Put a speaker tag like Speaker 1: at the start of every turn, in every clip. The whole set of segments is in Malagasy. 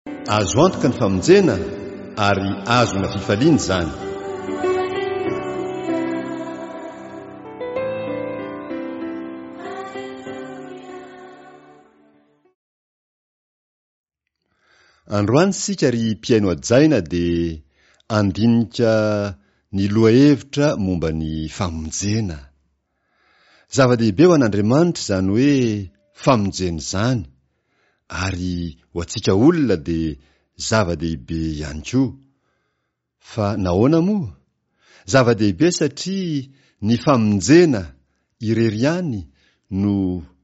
Speaker 1: Azo antoka ny famonjena ary azona fifaliana izany. Androany isika ry mpihaino hajaina dia andinika ny lohahevitra momba ny famonjena. Zava-dehibe ho an'Andriamanitra izany hoe famonjena izany ary ho antsika olona dia zava-dehibe ihany koa. Fa nahoana moa? Zava-dehibe satria ny famonjena irery ihany no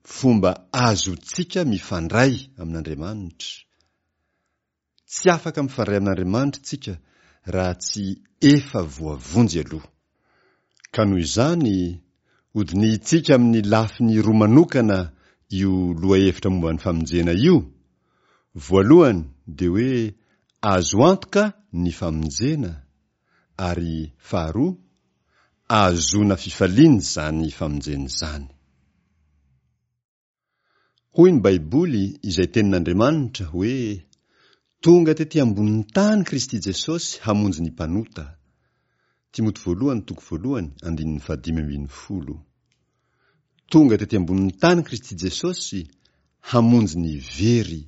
Speaker 1: fomba azontsika mifandray amin'Andriamanitra. Tsy afaka mifandray amin'Andriamanitra isika raha tsy efa voavonjy aloha. Ka noho izany, hodinihintsika amin'ny lafiny roa manokana io lohahevitra momba ny famonjena io, voalohany dia hoe azo antoka ny famonjena, ary faharoa, ahazoana fifaliana izany famonjena izany. Hoy ny Baiboly, izay Tenin'Andriamanitra, hoe, Tonga tetỳ ambonin'ny tany Kristy Jesosy hamonjy ny mpanota. Timoty voalohany toko voalohany, andininy fahadimy ambinifolo. Tonga tetỳ ambonin'ny tany Kristy Jesosy hamonjy ny very.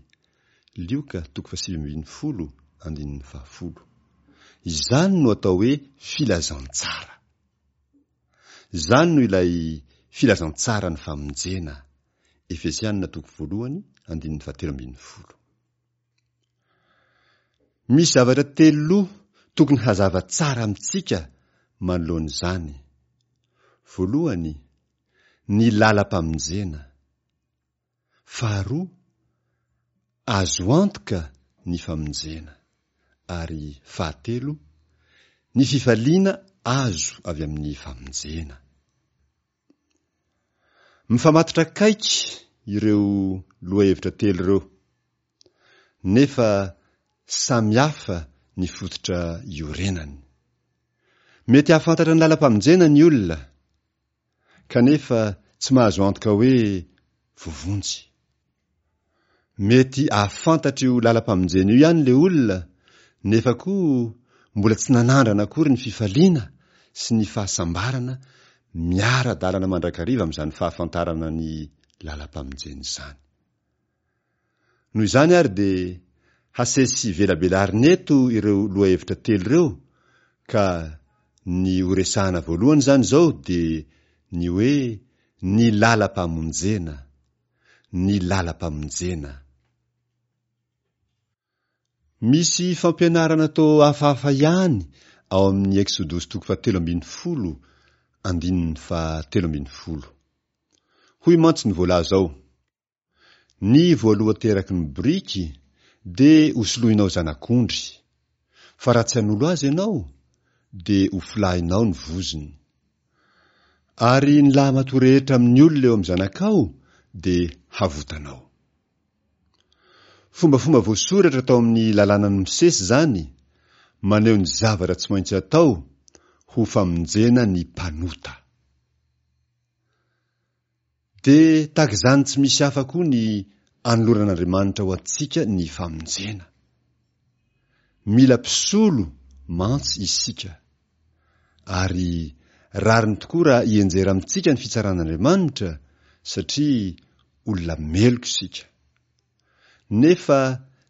Speaker 1: Lioka toko fahasivy ambinifolo, andininy fahafolo. Izany no atao hoe filazantsara. Izany no ilay filazantsaran'ny famonjena, Efesiana toko voalohany andininy fahatelo ambinifolo. Misy zavatra telo loha tokony hazava tsara amintsika manoloana izany. Voalohany, ny lalam-pamonjena. Faharoa, azo antoka ny famonjena. Ary fahatelo, ny fifaliana azo avy amin'ny famonjena. Mifamatotra akaiky ireo lohahevitra telo ireo, nefa samy hafa ny fototra iorenany. Mety hahafantatra ny lalam-pamonjena ny olona, kanefa tsy mahazo antoka hoe voavonjy. Mety hahafantatra io lalam-pamonjena io ihany ilay olona, nefa koa mbola tsy nanandrana akory ny fifaliana sy ny fahasambarana miara-dalana mandrakariva amin'izany fahafantarana ny lalam-pamonjena izany. Noho izany ary dia hasesy velabelarina eto ireo lohahevitra telo ireo ka ny horesahana voalohany izany izao dia ny hoe ny lalam-pamonjena, ny lalam-pamonjena. Misy fampianarana toa hafahafa ihany ao amin'ny Eksodosy toko fahatelo ambinifolo andininy fahatelo ambinifolo. Hoy mantsy ny voalaza ao. Ny voalohan-teraky ny boriky dia hosoloinao zanak'ondry, fa raha tsy hanolo azy ianao, dia hofolahinao ny vozony. Ary ny lahimatoa rehetra amin'ny olona eo amin'ny zanakao dia havotanao. Fombafomba voasoratra tao amin'ny Lalànan'i Mosesy izany, maneho ny zavatra tsy maintsy atao ho famonjena ny mpanota. Dia tahaka izany tsy misy hafa koa ny anoloran'Andriamanitra ho antsika ny famonjena. Mila mpisolo mantsy isika. Ary rariny tokoa raha hianjera amintsika ny fitsaran'Andriamanitra satria olona meloka isika. Nefa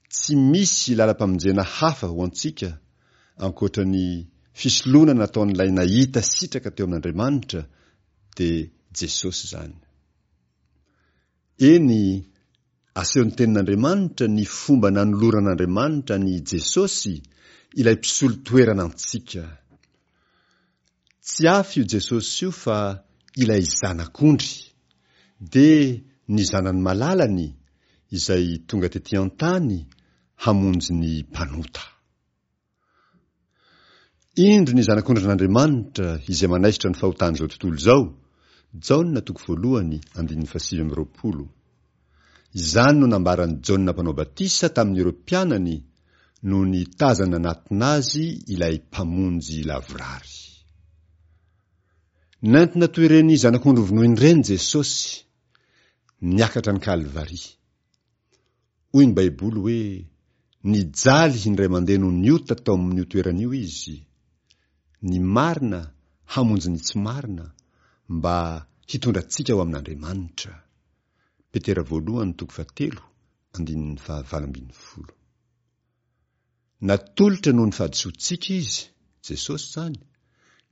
Speaker 1: tsy misy lalam-pamonjena hafa ho antsika ankoatra ny fisoloana nataon'ilay nahita sitraka teo amin'Andriamanitra dia Jesosy izany. Eny, asehon'ny Tenin'Andriamanitra ny fomba nanoloran'Andriamanitra an'i Jesosy, ilay mpisolo toerana antsika. Tsy hafa io Jesosy io fa ilay Zanak'ondry, dia ny Zanany malalany izay tonga tetỳ an-tany hamonjy ny mpanota. Indro ny Zanak'ondrin'Andriamanitra izay manaisotra ny fahotan'izao tontolo izao, Jaona toko voalohany andininy fahasivy amby roapolo. Izany no nambaran'i Jaona Mpanao Batisa tamin'ireo mpianany nony tazany nanatona azy ilay Mpamonjy lavorary. Nentina toy ireny zanak'ondry vonoina ireny Jesosy, niakatra an'i Kalvary. Hoy ny Baiboly hoe. Nijaly indray mandeha noho ny ota tao amin'io toerana io Izy. Ny marina hamonjy ny tsy marina, mba hitondra antsika ho amin'Andriamanitra. Petera voalohany toko fahatelo andininy fahavalo 18. Natolotra noho ny fahadisoantsika Izy, Jesosy izany,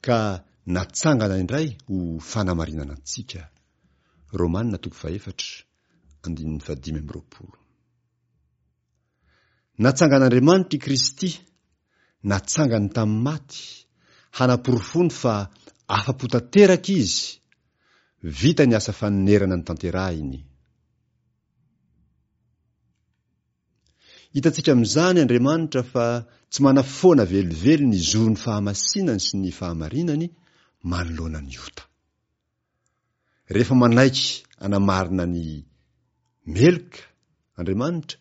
Speaker 1: ka natsangana indray ho fanamarinana antsika. Romana toko fahefatra andininy fahadimy amby 20. Natsangan'Andriamanitra i Kristy, natsangany tamin'ny maty, hanaporofoany fa afa-po tanteraka Izy, vita ny asa fanonerana notanterahiny. Hitantsika amin'izany Andriamanitra fa tsy manafoana velively ny zon'ny fahamasinany sy ny fahamarinany manoloana ny ota. Rehefa manaiky anamarina ny meloka Andriamanitra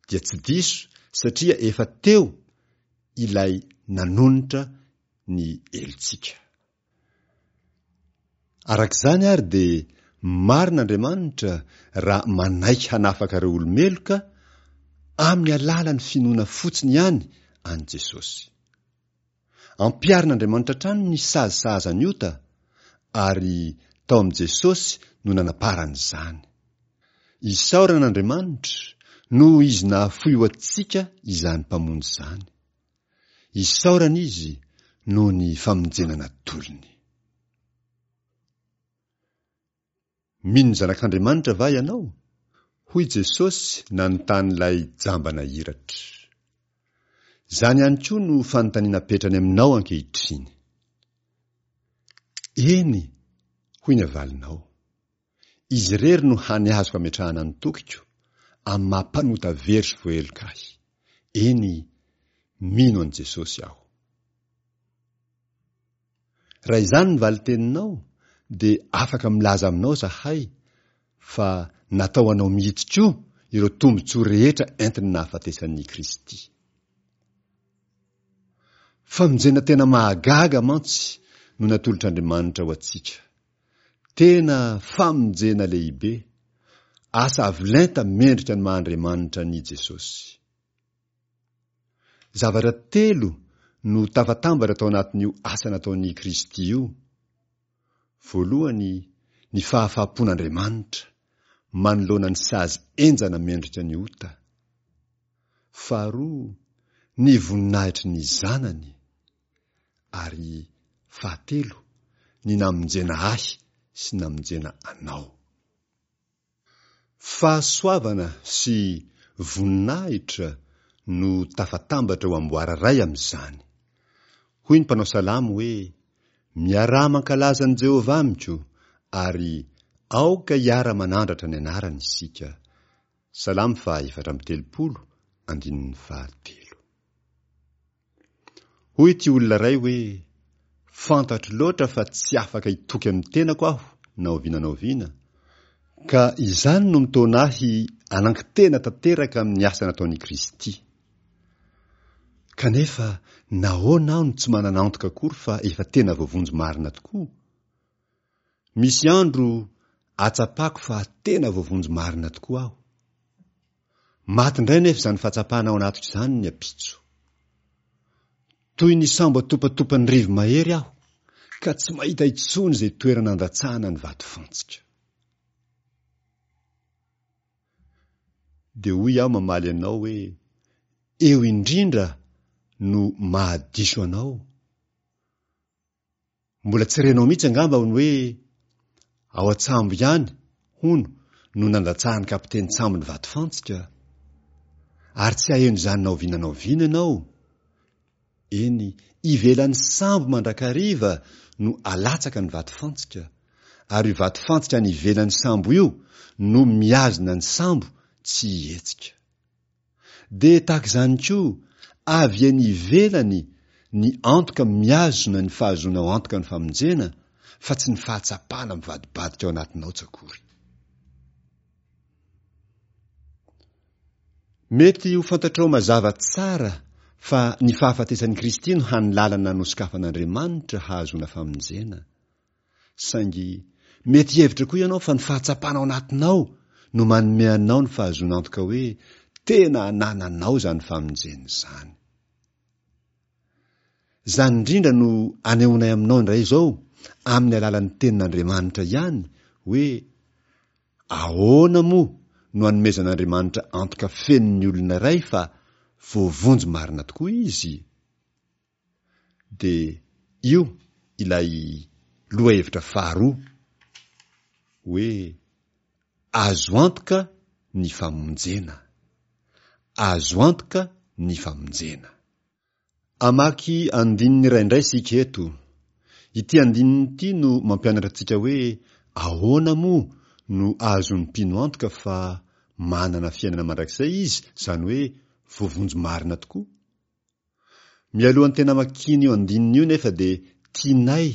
Speaker 1: dia tsy diso satria efa teo ilay nanonitra ny helotsika. Araka izany ary dia marina Andriamanitra raha manaiky hanafaka ireo olo-meloka amin'ny alalan'ny finoana fotsiny ihany an'i Jesosy. Ampiharin'Andriamanitra hatrany ny sazy sahaza ny ota ary tao amin'i Jesosy no nanaparany izany. Isaorana Andriamanitra noho Izy nahafoy ho antsika izany Mpamonjy izany. Isaorana Izy noho ny famonjena natolony. Mino ny Zanak'Andriamanitra va ianao? Hoy Jesosy nanontany ilay jamba nahiratra. Izany ihany koa no fanontaniana apetrany aminao ankehitriny. Eny, hoy ny avalinao. Izy irery no hany azoko ametrahana ny tokiko, amin'ny maha mpanota very sy voaheloka ahy. Eny, mino an'i Jesosy aho. Raha izany ny valin-teninao, dia afaka milaza aminao izahay fa natao anao mihitsy koa ireo tombontsoa rehetra entin'ny nahafatesan'i Kristy. Famonjena tena mahagaga mantsy no natolotr'Andriamanitra ho antsika. Tena famonjena lehibe, asa avo lenta mendrika ny maha Andriamanitra an'i Jesosy. Zavatra telo no tafatambatra tao anatin'io asa nataon'i Kristy io. Voalohany, ny fahafahampon'Andriamanitra manoloana ny sazy henjana mendrika ny ota. Faharoa, ny voninahitry ny Zanany. Ary fahatelo, ny namonjena ahy sy namonjena anao. Fahasoavana sy voninahitra no tafatambatra ho amboara iray amin'izany. Hoy ny mpanao salamo hoe, Miaraha mankalaza an'i Jehovah amiko, ary aoka hiara-manandratra ny anarany isika. Salamo faha 34, andininy fahatelo. Hoy ity olona iray hoe, Fantatro loatra fa tsy afaka hitoky amin'ny tenako aho na oviana na oviana, ka izany no mitaona ahy hanankitena tanteraka amin'ny asa nataon'i Kristy. Kanefa nahoana aho no tsy manana antoka akory fa efa tena voavonjy marina tokoa? Misy andro ahatsapako fa tena voavonjy marina tokoa aho. Maty indray anefa izany fahatsapana ao anatiko izany ny ampitso. Toy ny sambo atopatopan'ny rivo-mahery aho, ka tsy mahita intsony izay toerana andatsahana ny vatofantsika. Dia hoy aho mamaly anao hoe, eo indrindra no mahadiso anao. Mbola tsy renao mihitsy angamba ny hoe ao an-tsambo ihany, hono, no nandatsahan'ny kapitenin-tsambo ny vatofantsika. Ary tsy haheno izany na oviana na oviana ianao. Eny, ivelan'ny sambo mandrakariva no alatsaka ny vatofantsika, ary io vatofantsika any ivelan'ny sambo io no mihazona ny sambo tsy hihetsika. Dia tahaka izany koa, avy eny ivelany ny antoka mihazona ny fahazoanao antoka ny famonjena fa tsy ny fahatsapana mivadibadika ao anatinao tsy akory. Mety ho fantatrao mazava tsara fa ny fahafatesan'i Kristy no hany lalana nosokafan'Andriamanitra hahazoana famonjena. Saingy mety hihevitra koa ianao fa ny fahatsapana ao anatinao no manome anao ny fahazoana antoka hoe Tena anananao izany famonjena izany. Izany indrindra no anehoanay aminao indray izao, amin'ny alalan'ny Tenin'Andriamanitra ihany, hoe ahoana moa no anomezan'Andriamanitra antoka feno ny olona iray fa voavonjy marina tokoa izy? Dia io ilay lohahevitra faharoa, hoe azo antoka ny famonjena. Azo antoka ny famonjena. Hamaky andininy iray indray isika eto. Ity andininy ity no mampianatra antsika hoe ahoana moa no ahazoan'ny mpino antoka fa manana fiainana mandrakizay izy, izany hoe voavonjy marina tokoa. Mialohan'ny tena hamakiana io andininy io nefa dia tianay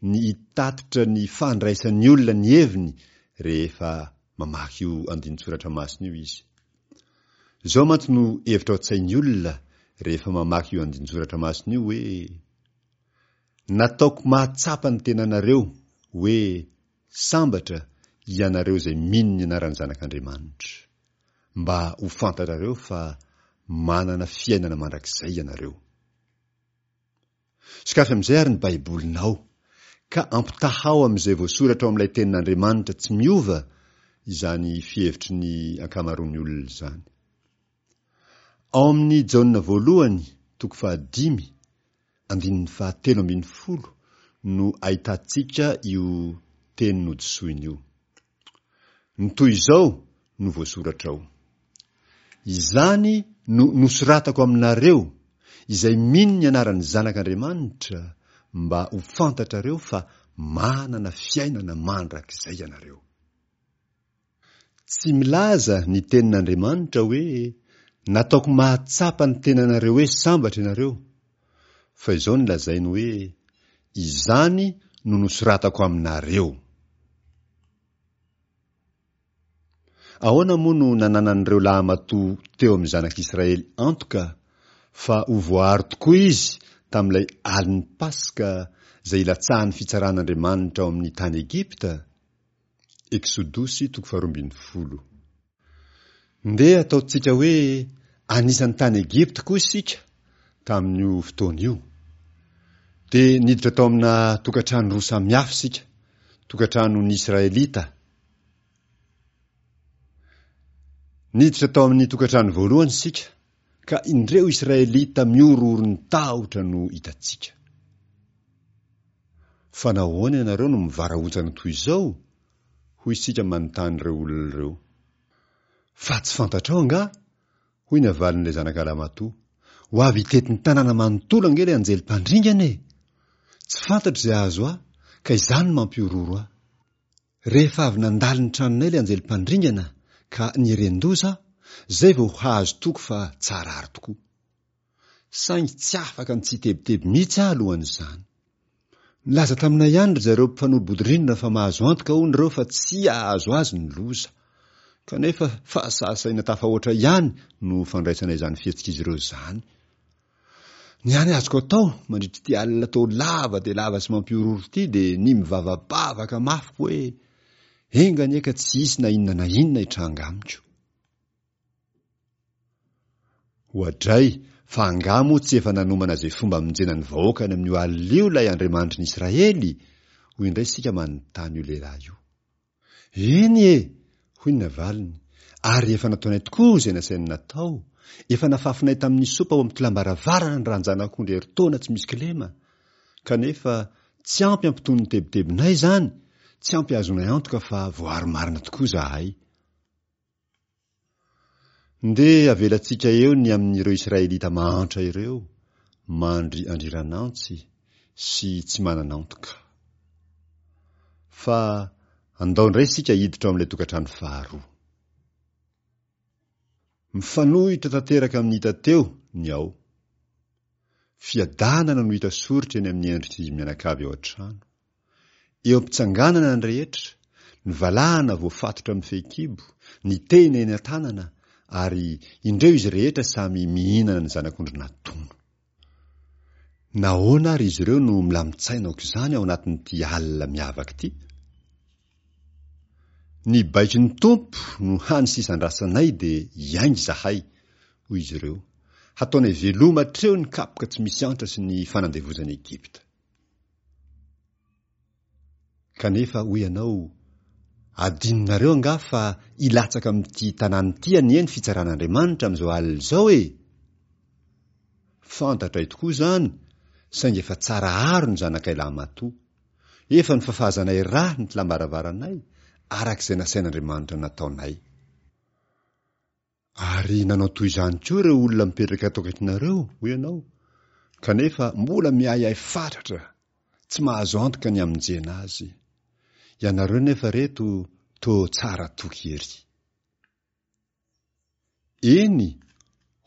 Speaker 1: ny hitatitra ny fandraisan'ny olona ny heviny rehefa mamaky io andinin-tsoratra masina io izy. Izao mantsy no hevitra ao an-tsain'ny olona rehefa mamaky io andinin-tsoratra masina io hoe, Nataoko mahatsapa ny tenanareo hoe sambatra ianareo izay mino ny anaran'ny Zanak'Andriamanitra, mba ho fantatrareo fa manana fiainana mandrakizay ianareo. Sokafy amin'izay àry ny Baibolinao, ka ampitahao amin'izay voasoratra ao amin'ilay Tenin'Andriamanitra tsy miova izany fihevitry ny ankamaroan'ny olona izany. Ao amin'ny Jaona voalohany, toko fahadimy, andininy fahatelo ambinifolo no ahitantsika io teny nodisoiny io. Ny toy izao no voasoratra ao, Izany no nosoratako aminareo izay mino ny anaran'ny Zanak'Andriamanitra, mba ho fantatrareo fa manana fiainana mandrakizay ianareo. Tsy milaza ny Tenin'Andriamanitra hoe, Nataoko mahatsapa ny tenanareo hoe sambatra ianareo, fa izao no lazainy hoe, Izany no nosoratako aminareo. Ahoana moa no nananan'ireo lahamatoa teo amin'ny zanak'Israely antoka fa ho voaaro tokoa izy tamin'ilay alin'ny Paska izay ilatsahan'ny fitsaran'Andriamanitra ao amin'ny tany Egypta? Eksodosy toko faharoambinifolo. Ndeha ataontsika hoe anisan'ny tany Egypta koa isika tamin'io fotoana io. Dia niditra tao amina tokantrano roa samihafa isika, tokantranon'ny Israelita. Niditra tao amin'ny tokantrano voalohany isika, ka indreo Israelita mihorohoro ny tahotra no hitantsika. Fa nahoana ianareo no mivarahontsana toy izao? hoy isika manontany ireo olona ireo. Fa tsy fantatrao angaha? hoy ny havalin'ilay zanaka lahimatoa. Ho avy hitety ny tanàna manontolo ange ilay anjely mpandringana e! Tsy fantatro izay hahazo ahy, ka izany no mampihorohoro ahy. Rehefa avy nandalo ny tranonay ilay anjely mpandringana ka nieren-doza aho, izay vao hahazo toky fa tsara àry tokoa. Saingy tsy afaka ny tsy hitebiteby mihitsy aho alohan'izany. Nilaza taminay ihany ry zareo mpifanolo-bodirindrina fa mahazo antoka hono ireo fa tsy hahazo azy ny loza. Kanefa fahasahisahiana tafahoatra ihany no fandraisana izany fihetsik'izy ireo izany. Ny hany azoko atao mandritra ity alina toa lava dia lava sy mampihorohoro ity dia ny mivavabavaka mafy hoe enga anie ka tsy hisy na inona na inona hitranga amiko. Oadray, fa angaha moa tsy efa nanomana izay fomba hamonjena ny vahoakany amin'io alina io ilay Andriamanitry ny Israely? hoy indray isika manontany io lehilahy io. Eny e! hoy ny navaliny, ary efa nataonay tokoa izay nasainy natao, efa nafafinay tamin'ny sopa ao amin'ny tolam-baravarana ny ran-janak'ondry herintaona tsy misy kilema, kanefa tsy ampy hampitony ny tebitebinay izany, tsy ampy hahazoanay antoka fa voaaro marina tokoa izahay. Ndeha avelantsika eo ny amin'ireo Israelita mahantra ireo, mandry andriran'antsy sy tsy manana antoka. Fa andao indray isika hiditra ao amin'ilay tokantrano faharoa. Mifanohitra tanteraka amin'ny hita teo ny ao. Fiadanana no hita soritra eny amin'ny endrik'izy mianakavy ao an-trano. Eo am-pitsanganana ny rehetra, ny valahana voafatotra amin'ny fehikibo, ny tehina eny an-tanana, ary indreo izy rehetra samy mihinana ny zanak'ondry natono. Nahoana àry izy ireo no milamin-tsaina aok'izany ao anatin'ity alina miavaka ity? Ny baikon'ny Tompo no hany sisa andrasanay dia hiainga izahay. hoy izy ireo. Hataonay veloma hatreo ny kapoka tsy misy antra sy ny fanandevozan'i Egypta. Kanefa hoy ianao, Adinonareo angaha fa hilatsaka amin'ity tanàna ity anie ny fitsaran'Andriamanitra amin'izao alina izao e? Fantatray tokoa izany, saingy efa tsara aro ny zanakay lahimatoa. Efa nofafazanay rà ny tlam-baravaranay, araka izay nasain'Andriamanitra nataonay. Ary nanao toy izany koa ireo olona mipetraka ato akaikinareo, hoy ianao, kanefa mbola miahiahy fatratra, tsy mahazo antoka ny hamonjena azy. Ianareo nefa reto toa tsara toky ery. Eny,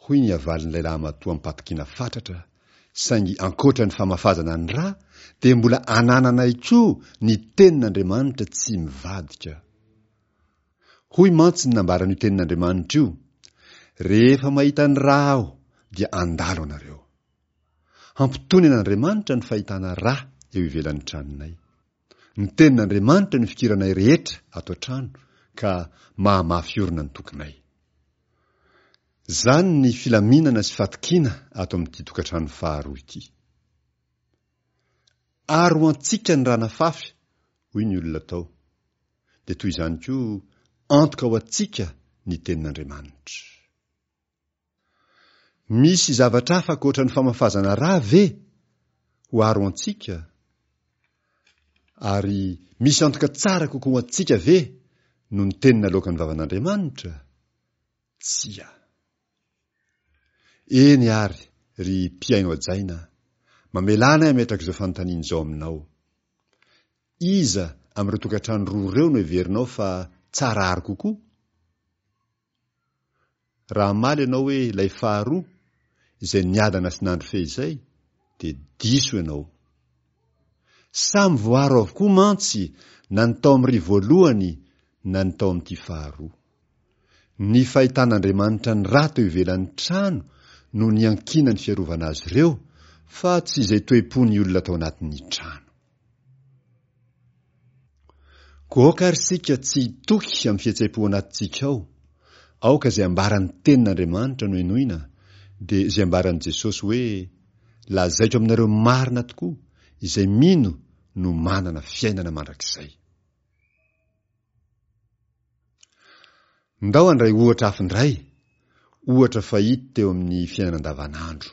Speaker 1: hoy ny havalin'ilay lahimatoa am-patokiana fatratra, saingy ankoatra ny famafazana ny ra, dia mbola anananay koa ny Tenin'Andriamanitra tsy mivadika. Hoy mantsy ny nambaran'io Tenin'Andriamanitra io, Rehefa mahita ny ra aho, dia handalo anareo. Hampitony an'Andriamanitra ny fahitana ra eo ivelan'ny tranonay. Ny Tenin'Andriamanitra no ifikiranay rehetra ato an-trano, ka mahamafy orina ny tokinay. Izany ny filaminana sy fatokiana ato amin'ity tokantrano faharoa ity. Ary ho antsika ny ra nafafy, hoy ny olona tao. Dia toy izany koa, antoka ho antsika ny Tenin'Andriamanitra. Misy zavatra hafa ankoatra ny famafazana ra ve ho aro antsika? Ary misy antoka tsara kokoa ho antsika ve noho ny teny naloakan'ny vavan'Andriamanitra? Tsia. Eny àry, ry mpihaino hajaina, mamelà anay hametraka izao fanontaniana izao aminao. Iza amin'ireo tokantrano roa ireo no heverinao fa tsara aro kokoa? Raha hamaly ianao hoe ilay faharoa, izay niadana sy nandry fehizay, dia diso ianao. Samy voaaro avokoa mantsy na ny tao amin'ry voalohany na ny tao amin'ity faharoa. Ny fahitan'Andriamanitra ny ra teo ivelan'ny trano no niankinan'ny fiarovana azy ireo fa tsy izay toe-pon'ny olona tao anatin'ny trano. Koa aoka ary isika tsy hitoky amin'ny fihetseham-po anatintsika ao. Aoka izay ambaran'ny Tenin'Andriamanitra no henoina, dia izay ambaran'i Jesosy hoe, Lazaiko aminareo marina tokoa, izay mino no manana fiainana mandrakizay. Ndao handray ohatra hafa indray, ohatra fahita teo amin'ny fiainana andavanandro.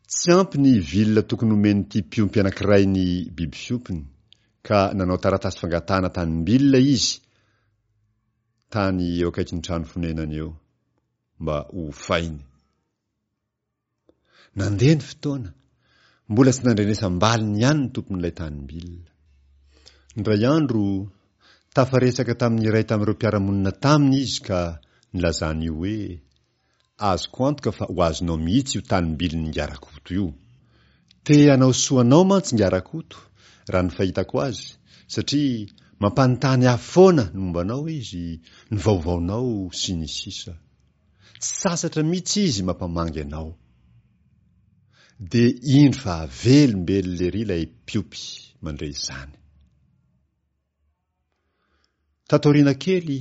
Speaker 1: Tsy ampy ny vilona tokony homen'ity mpiompy anankiray ny biby fiompiny, ka nanao taratasy fangatahana tanim-bilona izy tany eo akaikin'ny trano fonenany eo, mba hofainy. Nandeha ny fotoana, mbola tsy nandrenesam-baliny ihany ny tompon'ilay tanim-bilona. Indray andro, tafaresaka tamin'ny iray tamin'ireo mpiara-monina taminy izy ka nilazan'io hoe, Azoko antoka fa ho azonao mihitsy io tanim-bilin'Ingahy Rakoto io. Te hanao soa anao mantsy Ingahy Rakoto, raha ny fahitako azy, satria mampanontany ahy foana ny momba anao izy, ny vaovaonao, sy ny sisa. Tsy sasatra mihitsy izy mampamangy anao. Dia indro fa velombelona ery ilay mpiompy mandre izany. Tato aoriana kely,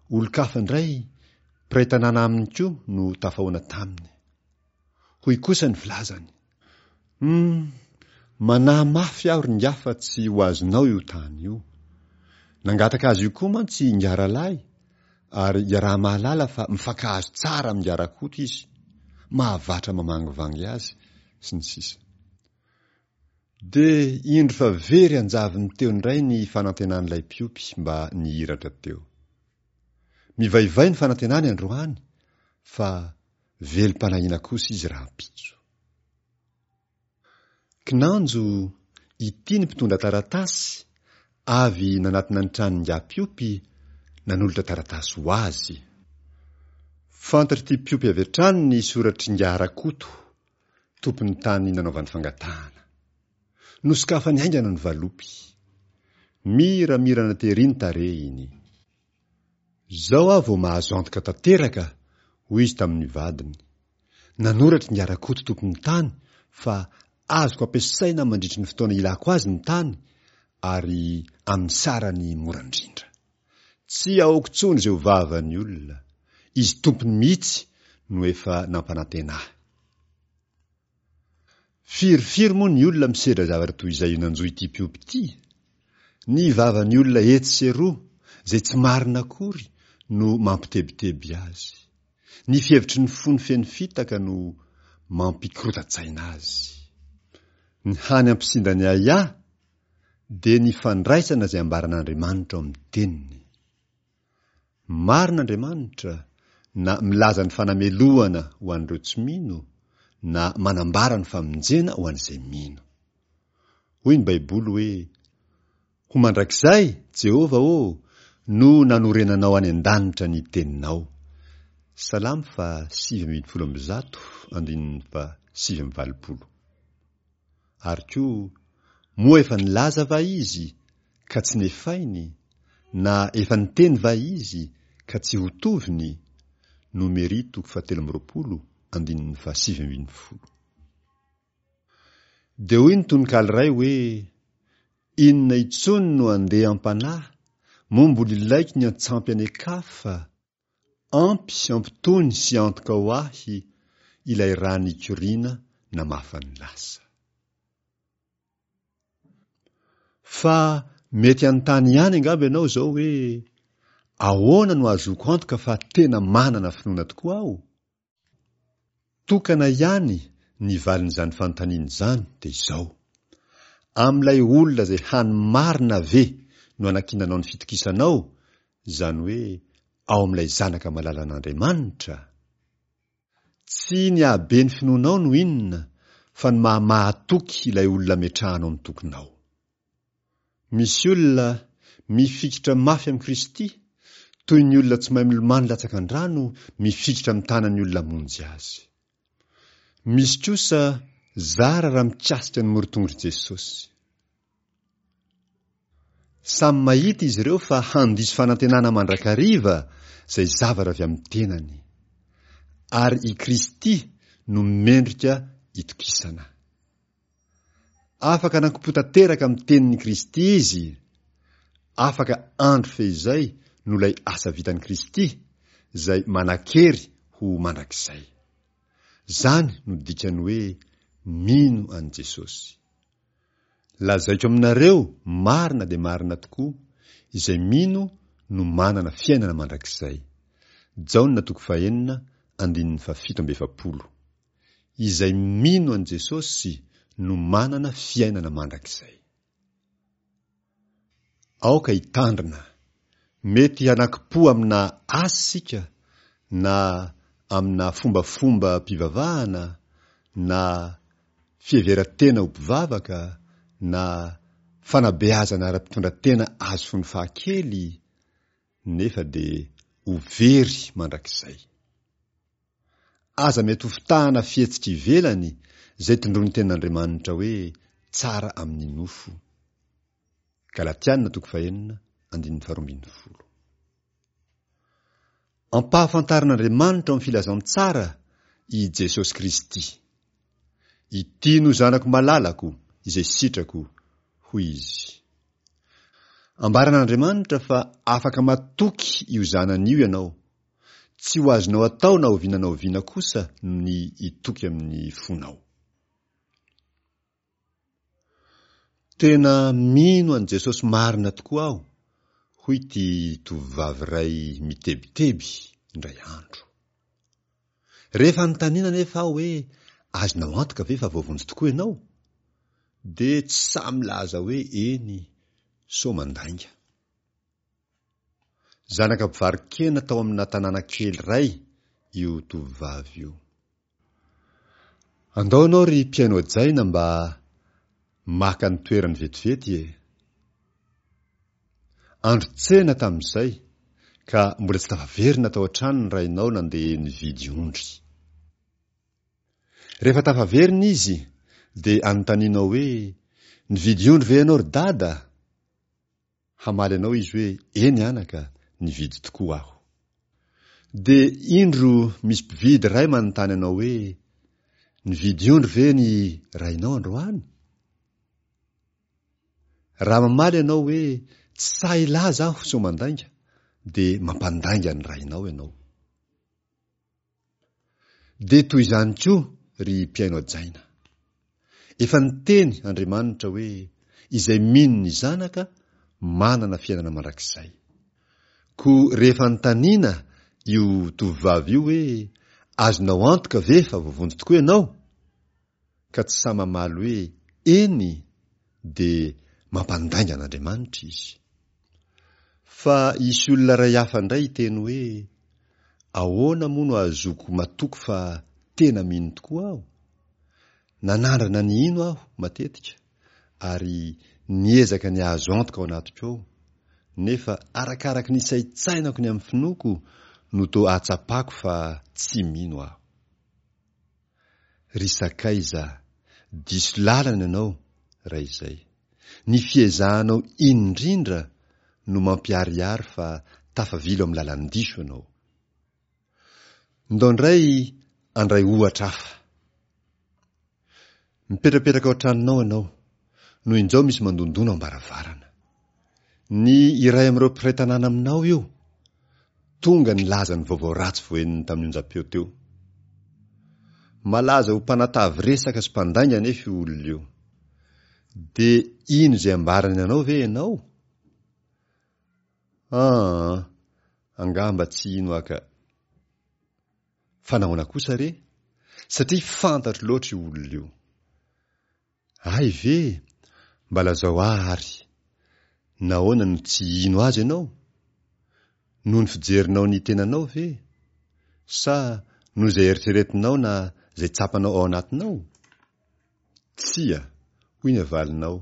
Speaker 1: olon-kafa indray, mpiray tanàna aminy koa no tafahoana taminy. Hoy kosa ny filazany, Hum, manahy mafy aho ry ingahy fa tsy ho azonao io tany io. Nangataka azy io koa mantsy ingahy Ralahy ary iaraha-mahalala fa mifankahazo tsara amin'ingahy Rakoto izy, mahavatra mamangivangy azy, sy ny sisa. Dia indro fa very an-javony teo indray ny fanantenan'ilay mpiompy mba nihiratra teo. Mivaivay ny fanantenany androany fa velom-panahiana kosa izy rahampitso. Kinanjo, ity ny mpitondra taratasy avy nanatona ny tranon'ingahy mpiompy nanolotra taratasy ho azy. Fantatr'ity mpiompy avy hatrany ny soratr'ingahy Rakoto, tompon'ny tany nanaovany fangatahana. Nosokafany haingana ny valopy. Miramirana tery ny tarehiny. Izao aho vao mahazo antoka tanteraka, hoy izy tamin'ny vadiny. Nanoratra Ingahy Rakoto tompon'ny tany fa azoko ampiasaina mandritry ny fotoana ilako azy ny tany ary amin'ny sarany mora indrindra. Tsy ahoako intsony izay ho vavan'ny olona. Izy tompony mihitsy no efa nampanantena ahy. Firifiry moa ny olona misedra zavatra toy izay nanjo ity mpiompy ity? Ny vavan'ny olona etsy sy eroa, izay tsy marina akory, no mampitebiteby azy. Ny fihevitry ny fony feno fitaka no mampikorotan-tsaina azy. Ny hany hampisinda ny ahiahy dia ny fandraisana izay ambaran'Andriamanitra ao amin'ny Teniny. Marina Andriamanitra na milaza ny fanamelohana ho an'ireo tsy mino na manambara ny famonjena ho an'izay mino. Hoy ny Baiboly hoe, Ho mandrakizay, Jehovah ô, no nanorenanao any an-danitra ny teninao. Salamo faha 119 andininy faha 89. Ary koa, moa efa nilaza va izy, ka tsy nefainy, na efa niteny va izy, ka tsy ho toviny? Nomery toko fahatelo amby roapolo, andininy fahasivy ambin'ny folo. Dia hoy ny tononkalo iray hoe, Inona intsony no andeha am-panahy, moa mbola ilaiko ny antsampy any an-kafa? Ampy sy ampitony sy antoka ho ahy ilay rà nikoriana namafa ny lasa. Fa mety hanontany ihany angamba ianao izao hoe, Ahoana no ahazoako antoka fa tena manana finoana tokoa aho? Tokana ihany ny valin'izany fanontaniana izany dia izao, Amin'ilay olona izay hany marina ve no anankinanao ny fitokisanao, izany hoe ao amin'ilay Zanaka malalan'Andriamanitra? Tsy ny hahabe ny finoanao no inona fa ny maha mahatoky ilay olona ametrahanao ny tokinao. Misy olona mifikitra mafy amin'i Kristy, toy ny olona tsy mahay milomano latsaka an-drano mifikitra amin'ny tanan'ny olona hamonjy azy. Misy kosa zara raha mikasika ny morotongotr'i Jesosy. Samy mahita izy ireo fa handiso fanantenana mandrakariva izay zavatra avy amin'ny tenany. Ary i Kristy no mendrika itokisana. Afaka nankopo tanteraka amin'ny tenin'i Kristy izy, afaka andro fehizay noho ilay asa vitan'i Kristy, izay manan-kery ho mandrakizay. Izany no dikan'ny hoe mino an'i Jesosy. Lazaiko aminareo marina dia marina tokoa, izay mino no manana fiainana mandrakizay. Jaona toko fahenina andininy fahafito amby efapolo. Izay mino an'i Jesosy no manana fiainana mandrakizay. Aoka hitandrina. Mety hanakim-po amina asa isika na amina fombafombam-pivavahana na fiheveran-tena ho mpivavaka na fanabeazana ara-pitondran-tena azo fony fahakely nefa dia ho very mandrakizay. Aza mety ho fitahana fihetsika ivelany izay tondroin'ny Tenin'Andriamanitra hoe tsara amin'ny nofo. Galatiana toko fahenina andininy faharoa ambin'ny folo. Ampahafantarin'Andriamanitra ao amin'ny filazantsara i Jesosy Kristy. Ity no zanako malalako izay sitrako, hoy izy. Ambaran'Andriamanitra fa afaka matoky io zanany io ianao. Tsy ho azonao atao na oviana na oviana kosa ny hitoky amin'ny fonao. Tena mino an'i Jesosy marina tokoa aho, hoy ity tovovavy iray mitebiteby indray andro. Rehefa anontaniana anefa aho hoe azonao antoka ve fa voavonjy tokoa ianao? dia tsy sahy milaza hoe eny, sao mandainga. Zanaka mpivaro-kena tao amina tanàna kely iray io tovovavy io. Andao ianao ry mpihaino hajaina mba maka ny toerany vetivety e! Andro tsena tamin'izay ka mbola tsy tafaverina tao an-trano ny rainao nandeha nividy ondry. Rehefa tafaverina izy dia anontanianao hoe, Nividy ondry ve ianao ry dada? Hamaly anao izy hoe, Eny anaka, nividy tokoa aho. Dia indro misy mpividy iray manontany anao hoe, Nividy ondry ve ny rainao androany? Raha mamaly ianao hoe, Tsy sahy hilaza aho sao mandainga, dia mampandainga ny rainao ianao. Dia toy izany koa ry mpihaino hajaina. Efa niteny Andriamanitra hoe izay mino ny Zanaka manana fiainana mandrakizay. Koa rehefa anontaniana io tovovavy io hoe azonao antoka ve fa voavonjy tokoa ianao? Ka tsy sahy mamaly hoe eny dia mampandainga an'Andriamanitra izy. Fa hisy olona iray hafa indray hiteny hoe ahoana moa no ahazoako matoky fa tena mino tokoa aho? Nanandrana ny hino aho matetika ary niezaka ny hahazo antoka ao anatiko ao, nefa arakaraky ny isaintsainako ny amin'ny finoako no toa ahatsapako fa tsy mino aho. Ry sakaiza, diso lalana ianao raha izay. Ny fiezahanao indrindra no mampiharihary fa tafavilo amin'ny lalan-diso ianao. Ndao indray handray ohatra hafa. Mipetrapetraka ao an-tranonao ianao, no injao misy mandondona ao am-baravarana. Ny iray amin'ireo mpiray tanàna aminao io, tonga nilaza ny vaovao ratsy voahenony tamin'ny onjam-peo teo. Malaza ho mpanatavy resaka sy mpandainga anefa io olona io. Dia hino izay ambarany anao ve ianao? Aa, angamba tsy hino aho ka. Fa nahoana kosa re? Satria fantatro loatra io olona io. Hay ve? Mba lazao ahy ary. Nahoana no tsy hino azy ianao? Noho ny fijerinao ny tenanao ve? Sa noho izay eritreretinao na izay tsapanao ao anatinao? Tsia, hoy ny havalinao,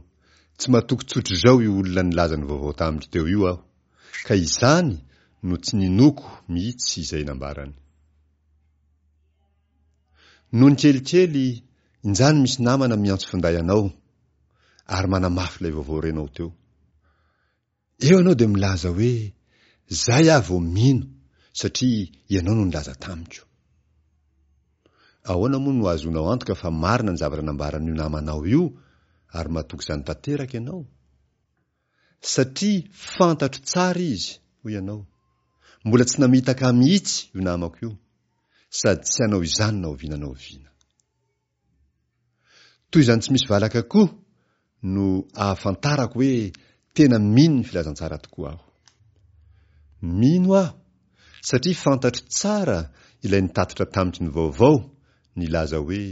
Speaker 1: tsy matoky tsotr'izao io olona nilaza ny vaovao tamiko teo io aho, ka izany no tsy ninoako mihitsy izay nambarany. Nony kelikely, injany misy namana miantso finday anao ary manamafy ilay vaovao renao teo. Eo ianao dia milaza hoe, Zay aho vao mino satria ianao no nilaza tamiko. Ahoana moa no ahazoanao antoka fa marina ny zavatra nambaran'io namanao io ary matoky izany tanteraka ianao? Satria fantatro tsara izy, hoy ianao. Mbola tsy namitaka ahy mihitsy io namako io, sady tsy hanao izany na oviana na oviana. Toy izany tsy misy valaka koa no ahafantarako hoe tena mino ny filazantsara tokoa aho. Mino aho satria fantatro tsara ilay nitatitra tamiko ny vaovao nilaza hoe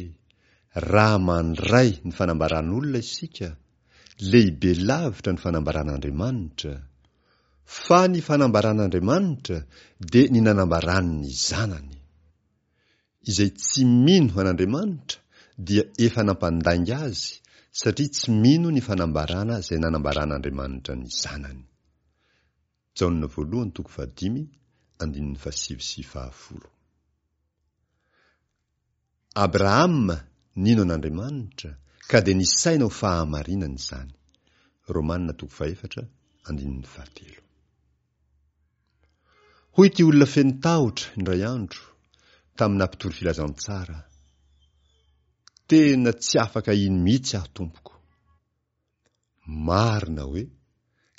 Speaker 1: raha mandray ny fanambaran'olona isika, lehibe lavitra ny fanambaran'Andriamanitra, fa ny fanambaran'Andriamanitra dia ny nanambarany ny Zanany. Izay tsy mino an'Andriamanitra dia efa nampandainga azy satria tsy mino ny fanambarana izay nanambaran'Andriamanitra ny Zanany. Jaona voalohany toko fahadimy andininy fahasivy sy fahafolo. Abrahama nino an'Andriamanitra ka dia nisaina ho fahamarinana izany. Romana toko fahefatra andininy fahatelo. Hoy ity olona feno tahotra, indray andro, tamina mpitory filazantsara, Tena tsy afaka hino mihitsy aho, tompoko. Marina hoe?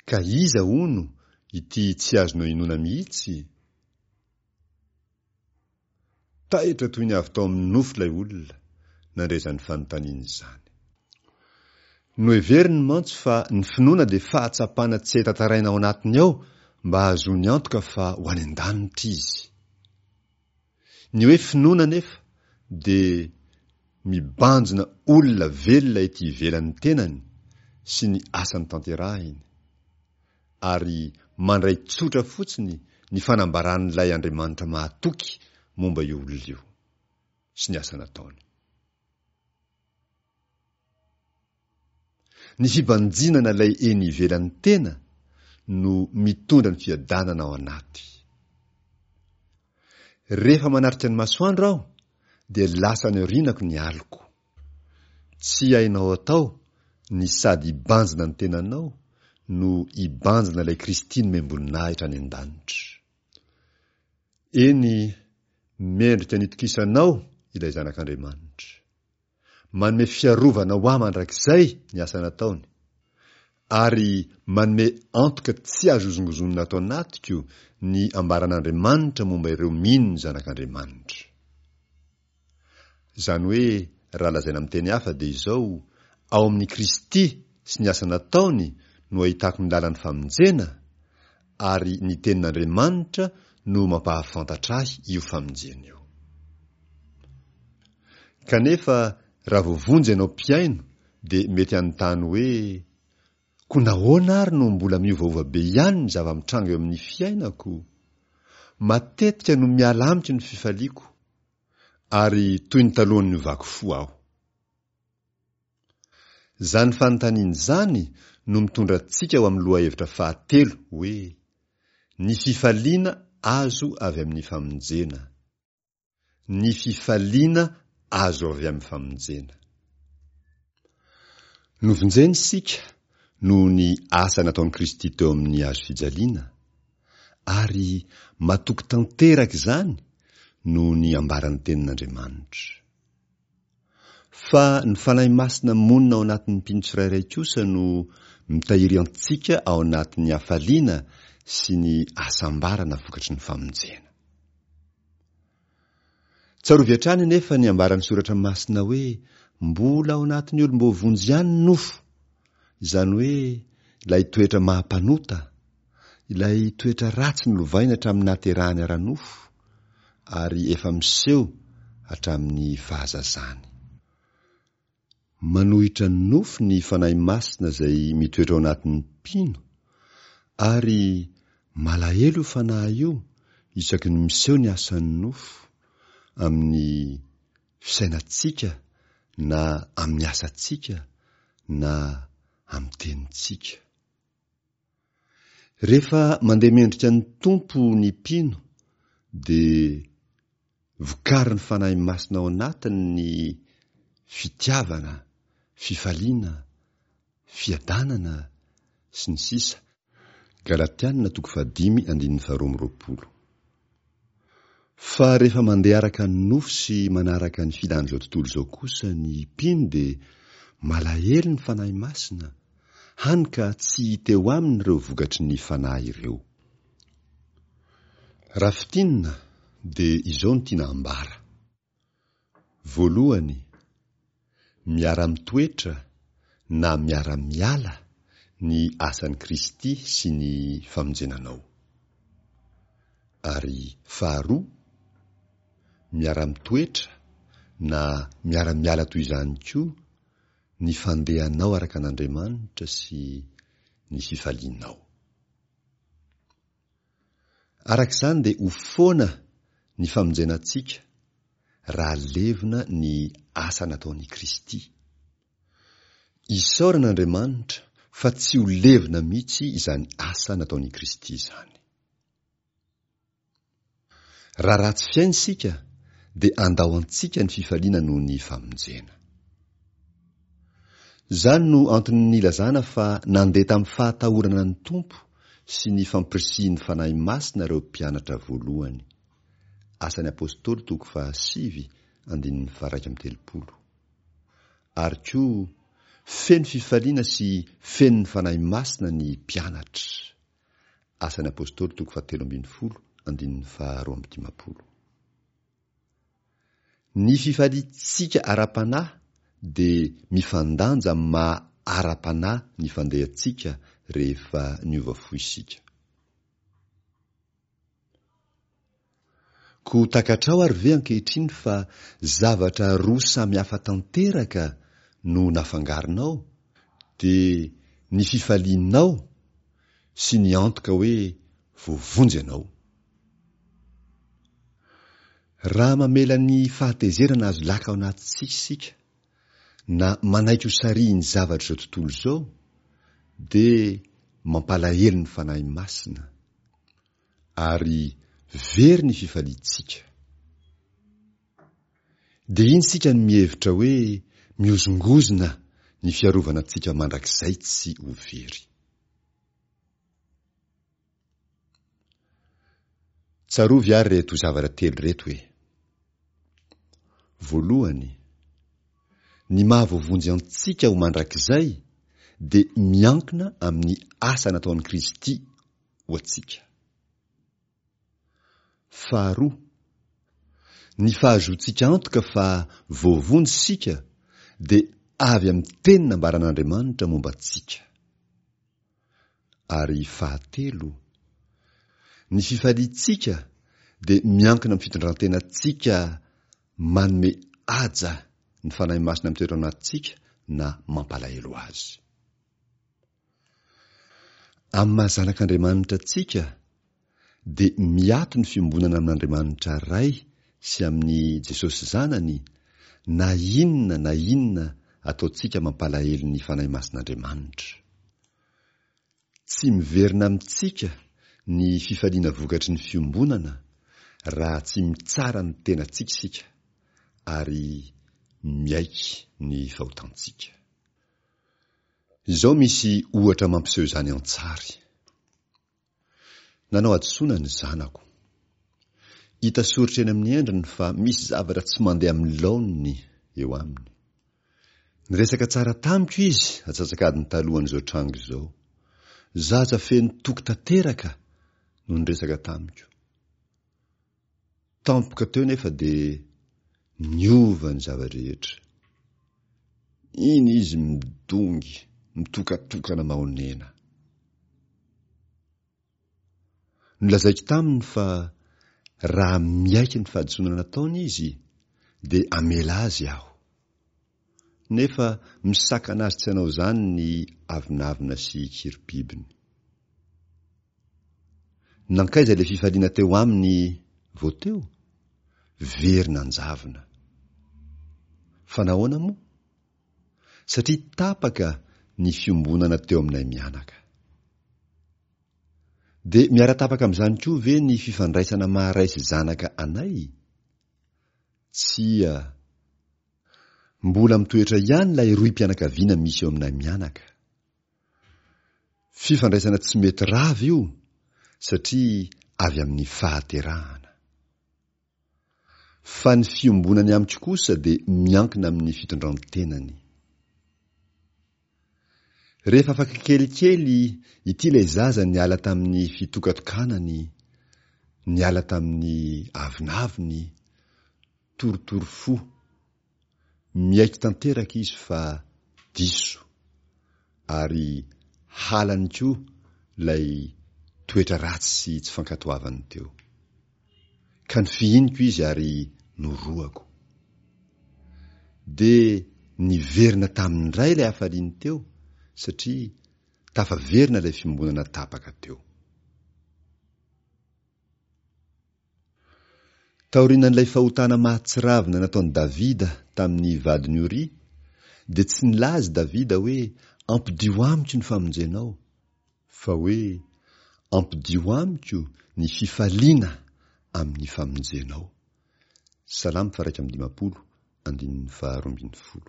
Speaker 1: Ka iza, hono, ity tsy azonao inoana mihitsy? Taitra toy ny avy tao amin'ny nofy ilay olona nandre izany fanontaniana izany. Noheveriny mantsy fa ny finoana dia fahatsapana tsy hay tantaraina ao anatiny ao mba hahazoany antoka fa ho any an-danitra izy. Ny hoe finoana anefa dia mibanjina olona velona ety ivelan'ny tenany sy ny asany tanterahiny. ary mandray tsotra fotsiny ny fanambaran'ilay Andriamanitra mahatoky momba io olona io sy ny asa nataony. Ny fibanjinana ilay eny ivelan'ny tena no mitondra ny fiadanana ao anaty. Rehefa manatrika ny masoandro aho dia lasa any aorianako ny aliko. Tsy hainao atao ny sady hibanjina ny tenanao no hibanjina ilay Kristy nomem-boninahitra any an-danitra. Eny, mendrika ny itokisanao ilay Zanak'Andriamanitra. Manome fiarovana ho ahy mandrakizay ny asa nataony, ary manome antoka tsy azo hozongozonina ato anatiko ny ambaran'Andriamanitra momba ireo mino ny Zanak'Andriamanitra. Izany hoe raha lazaina amin'ny teny hafa dia izao, ao amin'i Kristy sy ny asa nataony no ahitako ny lalan'ny famonjena, ary ny Tenin'Andriamanitra no mampahafantatra ahy io famonjena io. Kanefa raha voavonjy ianao mpihaino dia mety hanontany hoe, Koa nahoana ary no mbola miovaova be ihany ny zava-mitranga eo amin'ny fiainako? Matetika no miala amiko ny fifaliako, ary toy ny talohan'ny niovako fo aho. Izany fanontaniana izany no mitondra antsika ho amin'ny lohahevitra fahatelo hoe, Ny fifaliana azo avy amin'ny famonjena. Ny fifaliana azo avy amin'ny famonjena. Novonjena isika noho ny asa nataon'i Kristy teo amin'ny hazo fijaliana, ary matoky tanteraka izany noho ny ambaran'ny Tenin'Andriamanitra. Fa ny Fanahy Masina monina ao anatin'ny mpino tsirairay kosa no mitahiry antsika ao anatin'ny hafaliana sy ny hasambarana vokatry ny famonjena. Tsarovy hatrany anefa ny ambaran'ny Soratra Masina hoe mbola ao anatin'ny olom-boavonjy ihany ny nofo, izany hoe ilay toetra maha-mpanota, ilay toetra ratsy nolovaina hatramin'ny nahaterahany ara-nofo ary efa miseho hatramin'ny fahazazany. Manohitra ny nofo ny Fanahy Masina izay mitoetra ao anatin'ny mpino, ary malahelo io Fanahy io isaky ny miseho ny asan'ny nofo amin'ny fisainantsika na amin'ny asantsika na amin'ny tenintsika. Rehefa mandeha mendrika ny Tompo ny mpino dia vokarin'ny Fanahy Masina ao anatiny ny fitiavana, fifaliana, fiadanana, sy ny sisa Galatiana toko fahadimy andininy faharoa amby roapolo. Fa rehefa mandeha araka ny nofo sy manaraka ny filan'izao tontolo izao kosa ny mpino dia malahelo ny Fanahy Masina, hany ka tsy hita eo aminy ireo vokatry ny Fanahy ireo. Raha fintinina dia izao no tiana ambara. Voalohany, miara-mitoetra na miara-miala ny asan'i Kristy sy ny famonjena anao. Ary faharoa, miara-mitoetra na miara-miala toy izany koa ny fandehanao araka an'Andriamanitra sy ny fifalianao. Araka izany dia ho foana ny famonjena antsika raha levona ny asa nataon'i Kristy. Isaorana Andriamanitra fa tsy ho levona mihitsy izany asa nataon'i Kristy izany. Raha ratsy fiaina isika dia andao antsika ny fifaliana noho ny famonjena. Izany no antony nilazana fa nandeha tamin'ny fahatahorana ny Tompo sy ny fampirisihin'ny Fanahy Masina ireo mpianatra voalohany. Asan'ny Apostoly toko fahasivy andininy faha-31. Ary koa, feno fifaliana sy feno ny Fanahy Masina ny mpianatra. Asan'ny Apostoly toko fahatelo ambin'ny folo andininy faharoa amby dimampolo. Ny fifaliantsika ara-panahy dia mifandanja amin'ny maha ara-panahy ny fandehantsika rehefa niova fo isika. Koa takatrao ary ve ankehitriny fa zavatra roa samy hafa tanteraka no nafangaronao, dia ny fifalianao sy ny antoka hoe voavonjy ianao. Raha mamela ny fahatezerana azo laka ao anatintsika isika, na manaiky ho sarihin'ny zavatr'izao tontolo izao, dia mampalahelo ny Fanahy Masina. Ary very ny fifaliantsika. Dia iny isika no mihevitra hoe mihozongozona ny fiarovana antsika mandrakizay tsy ho very. Tsarovy ary ireto zavatra telo ireto e. Voalohany, ny maha voavonjy antsika ho mandrakizay dia miankina amin'ny asa nataon'i Kristy ho antsika. Faharoa, Ny fahazoantsika antoka fa voavonjy isika dia avy amin'ny teny nambaran'Andriamanitra momba antsika. Ary fahatelo, ny fifaliantsika dia miankina amin'ny fitondran-tenantsika manome haja ny Fanahy Masina mitoetra ao anatintsika na mampalahelo azy. Amin'ny maha zanak'Andriamanitra antsika dia miato ny fiombonana amin'Andriamanitra Ray sy amin'i Jesosy Zanany na inona na inona ataontsika mampalahelo ny Fanahy Masin'Andriamanitra. Tsy miverina amintsika ny fifaliana vokatry ny fiombonana raha tsy mitsara ny tenantsika isika ary miaiky ny fahotantsika. Izao misy ohatra mampiseho izany an-tsary. Nanao hadisoana ny zanako. Hita soritra eny amin'ny endriny fa misy zavatra tsy mandeha amin'ny laoniny eo aminy. Niresaka tsara tamiko izy atsasak'adiny talohan'izao tranga izao. Zaza feno toky tanteraka no niresaka tamiko. Tampoka teo nefa dia niova ny zava-drehetra. Iny izy midongy, mitokatokana mahonena. Nolazaiko taminy fa raha miaiky ny fahadisoana nataony izy dia hamela azy aho. Nefa misakana azy tsy hanao izany ny avonavona sy kirobibiny. Nankaiza ilay fifaliana teo aminy vao teo? Very nanjavona. Fa nahoana moa? Satria tapaka ny fiombonana teo aminay mianaka. Dia miara-tapaka amin'izany koa ve ny fifandraisana maha ray sy zanaka anay? Tsia. Mbola mitoetra ihany ilay rohim-pianakaviana misy eo aminay mianaka. Fifandraisana tsy mety rava io satria avy amin'ny fahaterahana. Fa ny fiombonany amiko kosa dia miankina amin'ny fitondran-tenany. Rehefa afaka kelikely ity ilay zaza niala tamin'ny fitokatokanany, niala tamin'ny avonavony, torotoro fo. Miaiky tanteraka izy fa diso ary halany koa ilay toetra ratsy sy tsy fankatoavany teo. Ka nofihiniko izy ary norohako. Dia niverina taminy indray ilay hafaliany teo satria tafaverina ilay fiombonana tapaka teo. Taorianan'ilay fahotana mahatsiravina nataon'i Davida tamin'ny vadin'i Oria, dia tsy nilaza i Davida hoe, Ampodio amiko ny famonjenao, fa hoe, Ampodio amiko ny fifaliana amin'ny famonjenao. Salamo faha 51, andininy faha 12.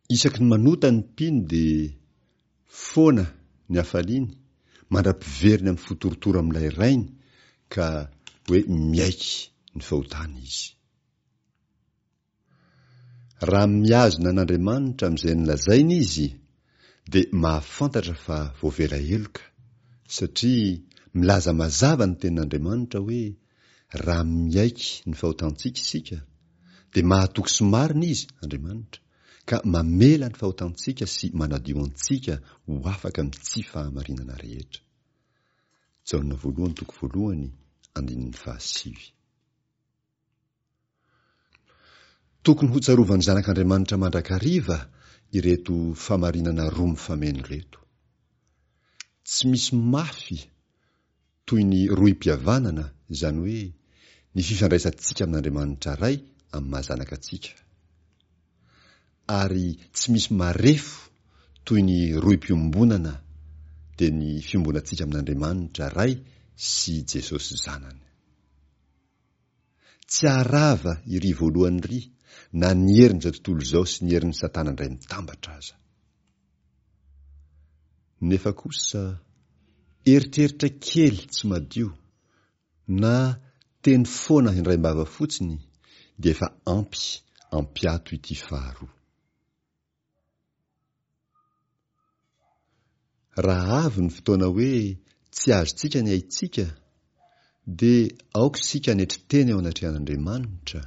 Speaker 1: Isaky ny manota ny mpino dia foana ny hafaliany mandra-piveriny amin'ny fo torotoro amin'ilay Rainy ka hoe miaiky ny fahotany izy. Raha mihazona an'Andriamanitra amin'izay nolazainy izy dia mahafantatra fa voavela heloka satria milaza mazava ny tenin'Andriamanitra hoe Raha miaiky ny fahotantsika isika, dia mahatoky sy marina Izy, Andriamanitra, ka mamela ny fahotantsika sy manadio antsika ho afaka amin'ny tsy fahamarinana rehetra. Jaona voalohany toko voalohany andininy fahasivy. Tokony hotsarovan'ny zanak'Andriamanitra mandrakariva ireto famarinana roa mifameno ireto. Tsy misy mafy toy ny rohim-pihavanana, izany hoe ny fifandraisantsika amin'Andriamanitra Ray amin'ny maha zanaka antsika. Ary tsy misy marefo toy ny rohim-piombonana, dia ny fiombonantsika amin'Andriamanitra Ray sy Jesosy Zanany. Tsy haharava iry voalohany iry na ny herin'izao tontolo izao sy ny herin'i Satana indray mitambatra aza. Nefa kosa, eritreritra kely tsy madio na teny foana indraim-bava fotsiny dia efa ampy ampiato ity faharoa. Raha avy ny fotoana hoe tsy azontsika ny aintsika, Dia aoka isika hanetry tena eo anatrehan'Andriamanitra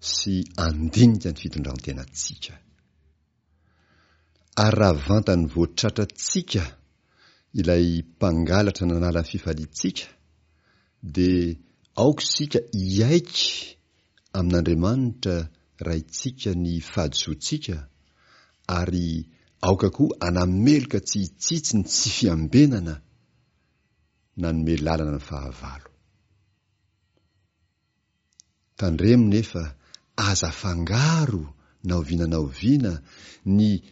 Speaker 1: sy handinika ny fitondran-tenantsika. Ary raha vantany vao tratrantsika ilay mpangalatra nanala ny fifaliantsika, dia aoka isika hiaiky amin'Andriamanitra Raintsika ny fahadisoantsika, ary aoka koa hanameloka tsy hitsitsy ny tsy fiambenana nanome lalana ny fahavalo. Tandremo nefa aza afangaro na oviana na oviana ny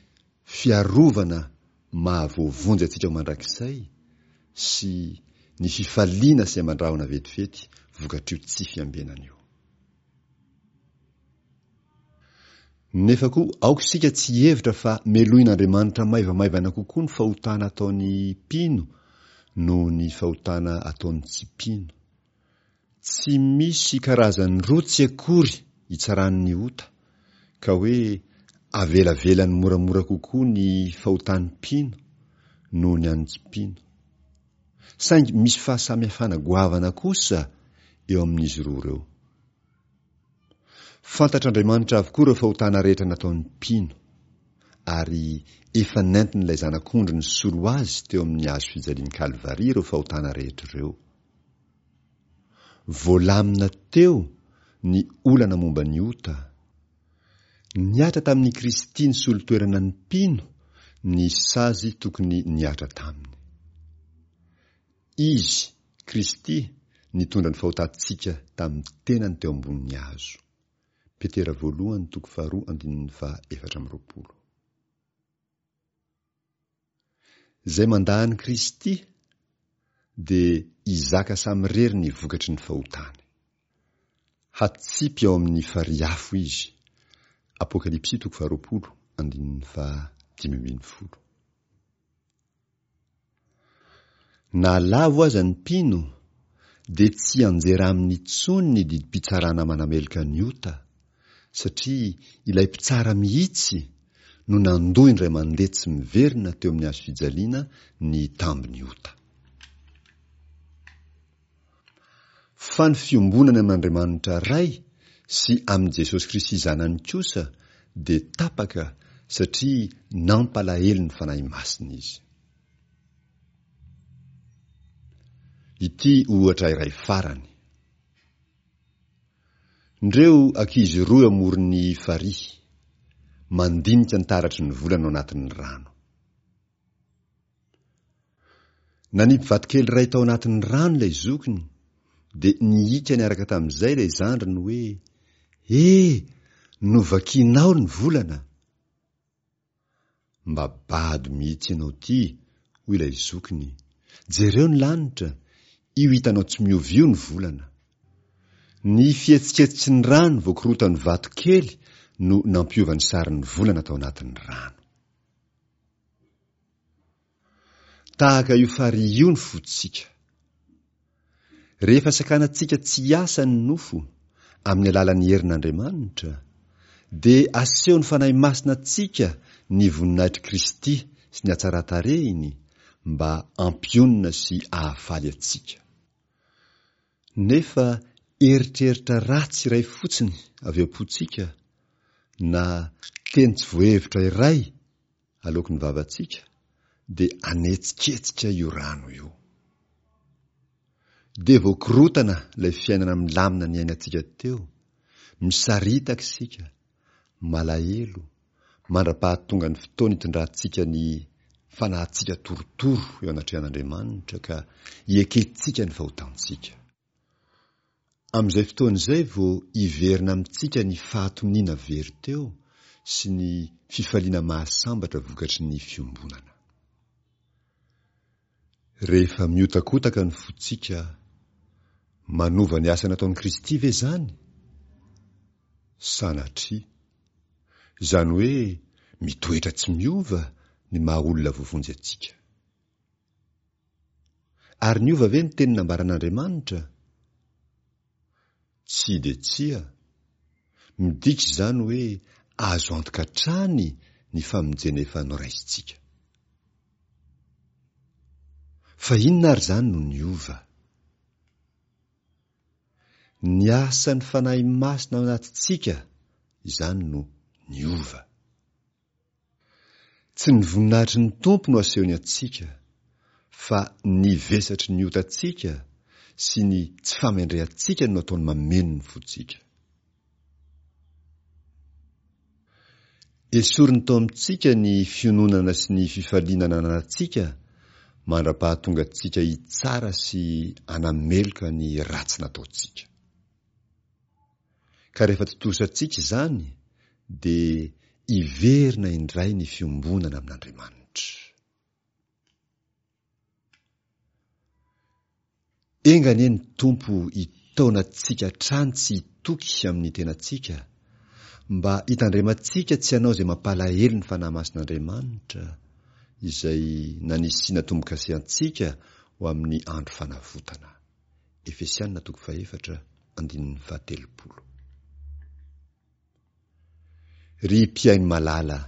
Speaker 1: fiarovana maha voavonjy antsika ho mandrakizay sy ny fifaliana sy aman-drahona vetivety vokatr'io tsy fiambenana io. Nefa koa aoka isika tsy hihevitra fa melohin'Andriamanitra maivamaivana kokoa ny fahotana ataon'ny mpino noho ny fahotana ataon'ny tsy mpino. Tsy misy karazany roa tsy akory itsarany ny ota, ka hoe avelavelany moramora kokoa ny fahotan'ny mpino noho ny an'ny tsy mpino. Saingy misy fahasamihafana goavana kosa eo amin'izy roa ireo. Fantatr'Andriamanitra avokoa ireo fahotana rehetra nataon'ny mpino, ary efa nentin'ilay Zanak'ondry nisolo azy teo amin'ny hazo fijalian'i Kalvary ireo fahotana rehetra ireo. Voalamina teo ny olana momba ny ota. Nihatra tamin'i Kristy nisolo toerana ny mpino ny sazy tokony nihatra taminy. Izy, Kristy, nitondra ny fahotantsika tamin'ny tenany teo ambonin'ny hazo. Petera voalohany toko faharoa andininy faha 24. Izay mandà an'i Kristy dia hizaka samirery ny vokatry ny fahotany. Hatsipy ao amin'ny farihy afo izy. Apokalypsy toko faharoapolo andininy faha 15. Na lavo aza ny mpino, dia tsy hianjera aminy intsony ny didim-pitsarana manameloka ny ota, satria ilay mpitsara mihitsy no nandoa indray mandeha tsy miverina teo amin'ny hazo fijaliana ny tambin'ny ota. Fa ny fiombonany amin'Andriamanitra Ray sy amin'i Jesosy Kristy Zanany kosa dia tapaka satria nampalahelo ny Fanahy Masina izy. Ity ohatra iray farany. Ndreo ankizy roa eo amoron'ny farihy, mandinika ny taratry ny volana ao anatin'ny rano. Nanipy vatokely iray tao anatin'ny rano ilay zokiny, dia nihika niaraka tamin'izay ilay zandriny hoe, He! Novakianao ny volana! Mba bado mihitsy ianao ity, hoy ilay zokiny. Jereo ny lanitra, io hitanao tsy miova io ny volana. Ny fihetsiketsiky ny rano voakorotan'ny vatokely no nampiova ny sarin'ny volana tao anatin'ny rano. Tahaka io farihy io ny fontsika. Rehefa sakanantsika tsy hiasa ny nofo, amin'ny alalan'ny herin'Andriamanitra, dia asehon'ny Fanahy Masina antsika ny voninahitr'i Kristy sy ny hatsaran-tarehiny mba hampionona sy hahafaly antsika. Nefa eritreritra ratsy iray fotsiny avy ao am-pontsika, na teny tsy voahevitra iray aloaky ny vavantsika, dia hanetsiketsika io rano io. Dia voakorotana ilay fiainana milamina niainantsika teo, misaritaka isika, malahelo, mandra-pahatonga ny fotoana itondrantsika ny fanahintsika torotoro eo anatrehan'Andriamanitra ka iekentsika ny fahotantsika. Amin'izay fotoana izay vao hiverina amintsika ny fahatoniana very teo sy ny fifaliana mahasambatra vokatry ny fiombonana. Rehefa mihotakotaka ny fontsika, manova ny asa nataon'i Kristy ve izany? Sanatria. Izany hoe mitoetra tsy miova ny maha olona voavonjy antsika. Ary niova ve ny teny nambaran'Andriamanitra? Tsia dia tsia. Midika izany hoe azo antoka hatrany ny famonjena efa noraisintsika. Fa inona ary izany no niova? Ny asan'ny Fanahy Masina ao anatintsika izany no niova. Tsy ny voninahitry ny Tompo no asehony antsika, fa ny vesatry ny otantsika sy ny tsy fahamendrehantsika no ataony mameno ny fontsika. Esoriny tao amintsika ny fiononana sy ny fifaliana nananantsika mandra-pahatonga antsika hitsara sy hanameloka ny ratsy nataontsika. Ka rehefa tontosantsika izany dia hiverina indray ny fiombonana amin'Andriamanitra. Enga anie ny Tompo hitaona antsika hatrany tsy hitoky amin'ny tenantsika, mba hitandremantsika tsy hanao izay mampalahelo ny Fanahy Masin'Andriamanitra, izay nanisiana tombo-kase antsika ho amin'ny andro fanavotana. Efesiana toko fahefatra andininy fahatelopolo. Ry mpihaino malala,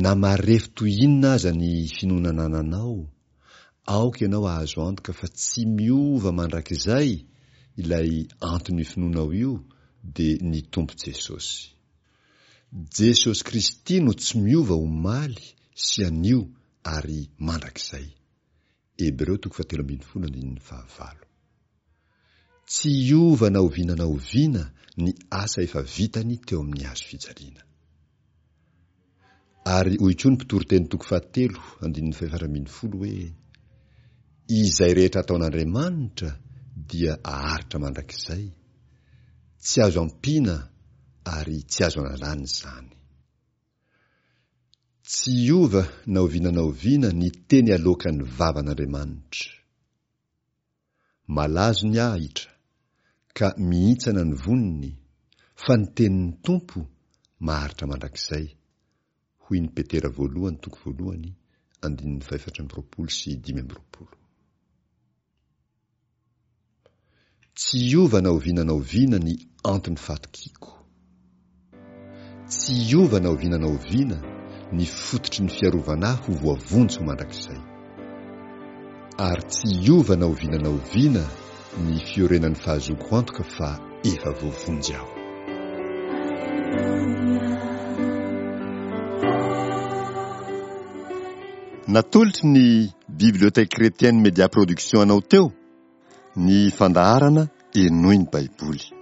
Speaker 1: na marefo toy inona aza ny finoana anananao, aoka ianao hahazo antoka fa tsy miova mandrakizay ilay anton'io finoanao io dia ny Tompo Jesosy. Jesosy Kristy no tsy miova omaly sy anio ary mandrakizay. Hebreo toko fahatelo ambinifolo andininy fahavalo. Tsy hiova na oviana na oviana ny asa efa vitany teo amin'ny hazo fijaliana. Ary hoy koa ny Mpitoriteny toko fahatelo andininy fahefatra ambin'ny folo hoe, Izay rehetra ataon'Andriamanitra dia aharitra mandrakizay, tsy azo ampiana ary tsy azo analana izany. Tsy hiova na oviana na oviana ny teny aloakan'ny vavan'Andriamanitra. Malazo ny ahitra, ka mihintsana ny voniny, fa ny tenin'ny Tompo maharitra mandrakizay, hoy ny Petera voalohany toko voalohany andininy fahefatra amby roapolo sy 25. Tsy hiova na oviana na oviana ny anton'ny fahatokiako. Tsy hiova na oviana na oviana ny fototry ny fiarovana ahy ho voavonjy ho mandrakizay. Ary tsy hiova na oviana na oviana ny fiorenan'ny fahazoako antoka fa efa voavonjy aho.
Speaker 2: Natolotry ny Bibliothèque Chrétienne Media Production anao teo ny fandaharana Henoy ny Baiboly.